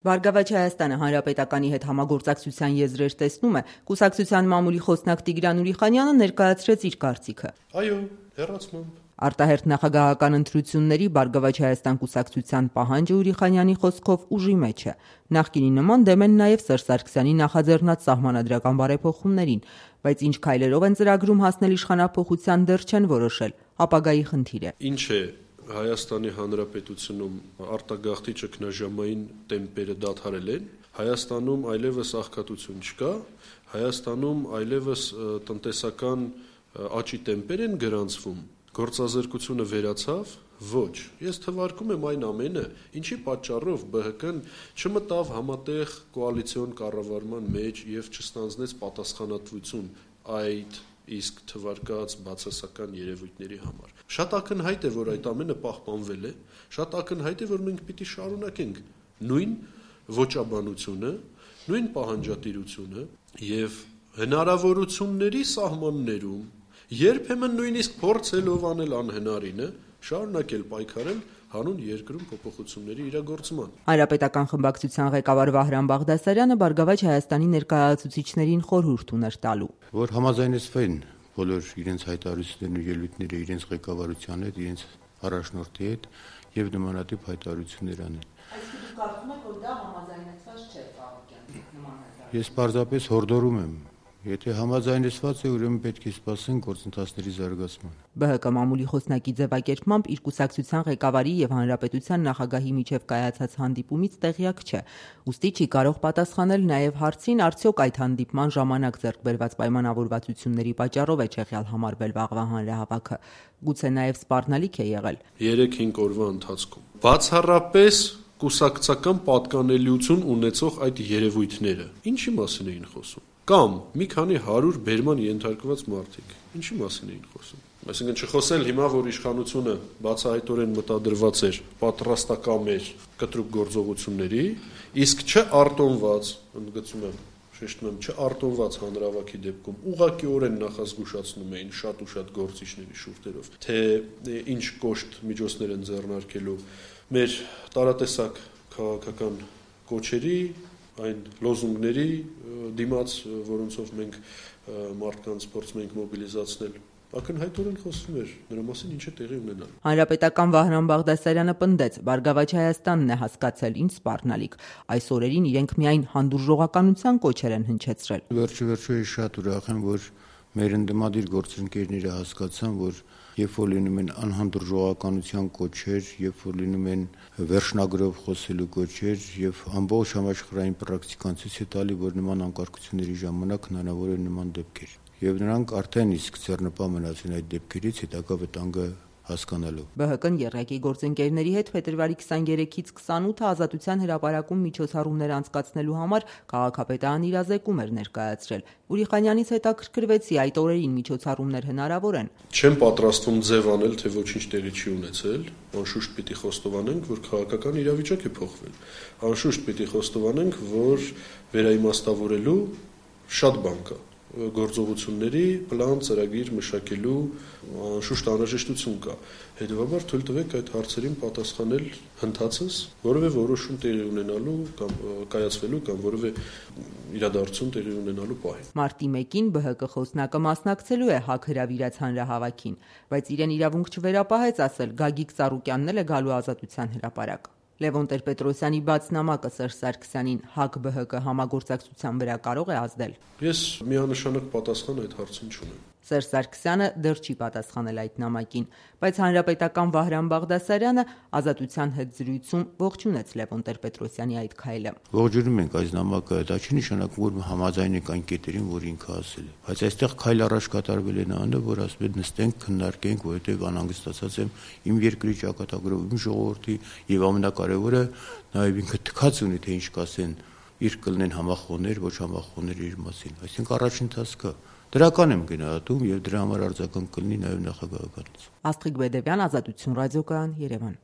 Բարգավաճ Հայաստանը Հանրապետականի հետ համագործակցության եզրեր տեսնում է, կուսակցության մամուլի խոսնակ Տիգրան Ուրիխանյանը ներկայացրեց իր կարծիքը։ Այո, հեռացմամբ։ Արտահերթ նախագահական ընտրությունների Բարգավաճ Հայաստան կուսակցության պահանջը Ուրիխանյանի խոսքով ուժի մեջ է։ Նախկինի նման դեմ են նաև Սերժ Սարգսյանի նախաձեռնած սահմանադրական բարեփոխումներին, բայց ինչ քայլերով են ծրագրում հասնել իշխանափոխության դեռ չեն որոշել, ապագայի խնդիր է։ Ինչ է Հայաստանի Հանրապետությունում արտագաղթի ճգնաժամային տեմպերը դադարել են, Հայաստանում այլևս աղքատություն չկա, Հայաստանում այլևս տնտեսական աճի տեմպեր են գրանցվում, գործազրկությունը վերացավ, ոչ, ես թվարկում եմ այն ամենը, ինչի պատճառով ԲՀԿ-ն չմտավ համատեղ կոալիցիոն կառավարման մեջ եւ չստանձնեց պատասխանատվություն այդ իսկ թվարկած բացասական երևույթների համար։ Շատ ակնհայտ է, որ այդ ամենը պահպանվել է, շատ ակնհայտ է, որ մենք պիտի շարունակենք նույն ոճաբանությունը, նույն պահանջատիրությունը եւ հնարավորությունների սահմաններում, երբեմն նույնիսկ փորձելով անել անհնարինը, շարունակել պայքարել հանուն երկրում փոփոխությունների իրագործման։ Հանրապետական խմբակցության ղեկավար Վահրամ Բաղդասարյանը Բարգավաճ Հայաստանի ներկայացուցիչներին խորհուրդ ուներ տալու, որ համաձայնեցվեն բոլոր իրենց հայտարարություններն ու ելույթները իրենց ղեկավարության հետ, իրենց առաջնորդի հետ եւ նմանատիպ հայտարարություններ անեն։ Այսինքն դուք կարծում եք, որ դա համաձայնեցված չէ Ծառուկյանի նման հայտարարություն։ Ես պարզապես հորդորում եմ, եթե համաձայնեցված է, ուրեմն պետք է սպասեն գործընթացների զարգացման։ ԲՀԿ մամուլի խոսնակի ձևակերպմամբ իր կուսակցության ղեկավարի եւ հանրապետության նախագահի միջև կայացած հանդիպումից տեղյակ չէ, ուստի չի կարող պատասխանել նաեւ հարցին, արդյոք այդ հանդիպման ժամանակ ձեռք բերված պայմանավորվածությունների պատճառով է չեղյալ համարվել վաղվա հանրահավաքը, գուցե նաեւ սպառնալիք է եղել։ 3-5 օրվա ընթացքում բացառապես կուսակցական պատկանելիություն ունեցող այդ երևույթները ինչի մասին էին խոսում։ Կամ մի քանի 100 բերման ենթարկված մարդիկ ինչի մասին էին խոսում։ Այսինքն չխոսել հիմա, որ իշխանությունը բացահայտորեն մտադրված էր, պատրաստակամ էր կտրուկ գործողությունների, իսկ չարտոնված, ընդգծում եմ, շեշտում եմ, չարտոնված հանրահավաքի դեպքում ուղղակիորեն նախազգուշացնում էին շատ ու շատ գործիչների շուրթերով, թե ինչ կոշտ միջոցներ են ձեռնարկելու մեր տարատեսակ քաղաքական կոչերի, այն լոզունգների դիմաց, որոնցով մենք մարդկանց փորձում ենք մոբիլիզացնել, ակնհայտորեն խոսվում էր նրա մասին ինչ է տեղի ունենալու։ Հանրապետական Վահրամ Բաղդասարյանը պնդեց, Բարգավաճ Հայաստանն է հասկացել ինչ սպառնալիք, այս օրերին իրենք միայն հանդուրժողականության կոչեր են հնչեցրել։ Վերջը շատ ուրախ եմ, որ մեր ընդդիմադիր գործընկերները հասկացան, որ երբ որ լինում են անհանդուրժողականության կոչեր, երբ որ լինում են վերջնագրով խոսելու կոչեր եւ ամբողջ համաշխարհային պրակտիկան ցույց է տալի, որ նման անկարգությունների ժամանակ հնարավոր է նման դեպքեր։ Եվ նրանք արդեն իսկ ձեռնպահ մնացին այդ դեպքերից հետագա վտանգը հասկանալով։ ԲՀԿ-ն ԵՌԵԿ-ի գործընկերների հետ փետրվարի 23-ից 28-ը Ազատության հրապարակում միջոցառումներ անցկացնելու համար քաղաքապետարան իրազեկում էր ներկայացրել։ Ուրիխանյանից հետաքրքրվեցի, այդ օրերին միջոցառումներ հնարավոր են։ Չեմ պատրաստվում ձև անել, թե ոչինչ տեղի չի ունեցել, անշուշտ պիտի խոստովանենք, որ քաղաքական իրավիճակ է փոխվել։ Անշուշտ պիտի խոստովանենք, որ վերաիմաստավորելու շատ բան կա։ Գործողությունների պլան ծրագիր մշակելու անշուշտ անհրաժեշտություն կա։ Հետևաբար թույլ տվեք այդ հարցերին պատասխանել հնդածս, որևէ որոշում տեղի ունենալու կամ կայացվելու կամ որևէ իրադարձություն տեղի ունենալու պահին։ Մարտի 1-ին ԲՀԿ խոսնակը մասնակցելու է ՀԱԿ հրավիրած հանրահավաքին, բայց իրեն իրավունք չվերապահեց ասել Գագիկ Ծառուկյանն էլ է գալու Ազատության հրապարակ։ Լևոն Տեր-Պետրոսյանի բաց նամակը Սերժ Սարգսյանին ՀԱԿ-ԲՀԿ համագործակցության վրա կարող է ազդել։ Ես միանշանակ պատասխան այդ հարցին չունեմ։ Սերժ Սարգսյանը դեռ չի պատասխանել այդ նամակին, բայց հանրապետական Վահրամ Բաղդասարյանը Ազատության հետ զրույցում ողջունեց Լևոն Տեր-Պետրոսյանի այդ քայլը։ Ողջունում ենք այս նամակը, դա չի նշանակում, որ համաձայն ենք այն կետերին, որ ինքը ասել է, բայց այստեղ քայլ առաջ կատարվել է նայանը, որ ասում են նստենք, քննարկենք, որովհետև անհանգստացած եմ իմ երկրի ճակատագրով, իմ ժողովրդի եւ ամենակարևորը նաեւ ինքը թքած ունի, թե ինչ կասեն, իր կլինեն համախոհներ, ոչ համախոհներ իր մասին։ Այսինքն առաջին տասկա դրական եմ գնահատում եւ դրա համար արձագանք կլինի նաեւ նախագահականից։ Աստղիկ Բեդևյան, Ազատություն ռադիոկայան, Երևան։